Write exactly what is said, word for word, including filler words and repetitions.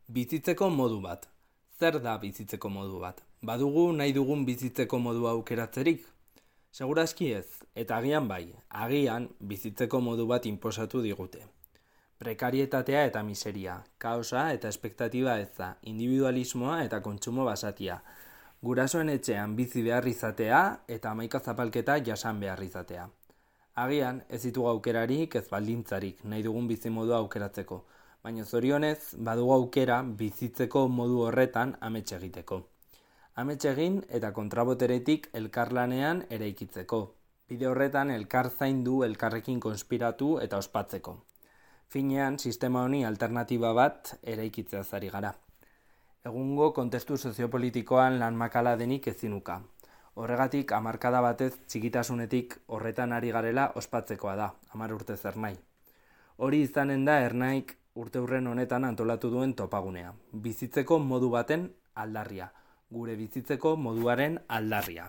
Bizitzeko modu bat. Zer da bizitzeko modu bat? Badugu nahi dugun bizitzeko modua aukeratzerik? Segurazki ez, eta agian bai, agian bizitzeko modu bat inposatu digute. Prekarietatea eta miseria, kaosa eta espektatiba eza, individualismoa eta kontsumo basatia, gurasoen etxean bizi behar izatea eta hamaika zapalketa jasan behar izatea. Agian ez ditugu aukerarik ez baldintzarik nahi dugun bizimodua aukeratzeko, baina zorionez badugu aukera bizitzeko modu horretan amets egiteko. Amets egin eta kontraboteretik elkarlanean eraikitzeko. Bide horretan elkar zaindu, elkarrekin konspiratu eta ospatzeko. Finean, sistema honi alternatiba bat eraikitzea ari gara. Egungo kontestu soziopolitikoan lan makala denik ezinuka. Horregatik, hamarkada batez txikitasunetik horretan ari garela ospatzekoa da, hamar urte zer nahi. Hori izanen da Ernaik urteurren honetan antolatu duen topagunea. Bizitzeko modu baten aldarria, gure bizitzeko moduaren aldarria.